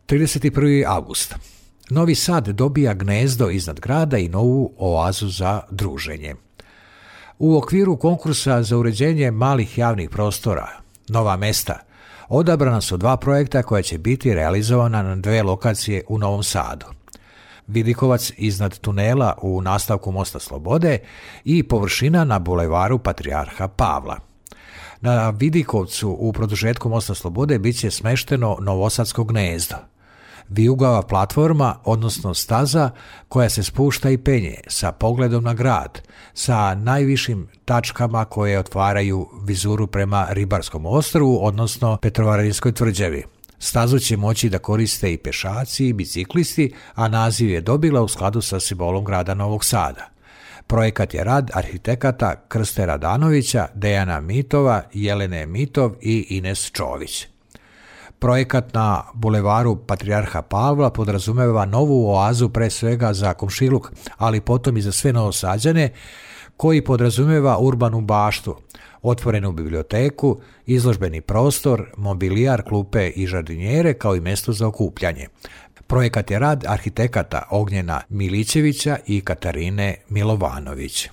31. avgust. Novi Sad dobija gnezdo iznad grada i novu oazu za druženje. U okviru konkursa za uređenje malih javnih prostora, Nova mesta, odabrana su 2 projekta koja će biti realizovana na 2 lokacije u Novom Sadu. Vidikovac iznad tunela u nastavku Mosta Slobode i površina na bulevaru Patrijarha Pavla. Na Vidikovcu u produžetku Mosta Slobode bit će smešteno Novosadsko gnezdo, vijugava platforma, odnosno staza koja se spušta i penje sa pogledom na grad, sa najvišim tačkama koje otvaraju vizuru prema Ribarskom ostrvu, odnosno Petrovaradinskoj tvrđavi. Stazu će moći da koriste i pešaci i biciklisti, a naziv je dobila u skladu sa simbolom grada Novog Sada. Projekat je rad arhitekata Krste Radanovića, Dejana Mitova, Jelene Mitov i Ines Čović. Projekat na bulevaru Patrijarha Pavla podrazumeva novu oazu pre svega za komšiluk, ali potom i za sve Novosađane, koji podrazumeva urbanu baštu, otvorenu biblioteku, izložbeni prostor, mobilijar, klupe i žardinjere kao i mesto za okupljanje. Projekat je rad arhitekata Ognjena Milićevića i Katarine Milovanović.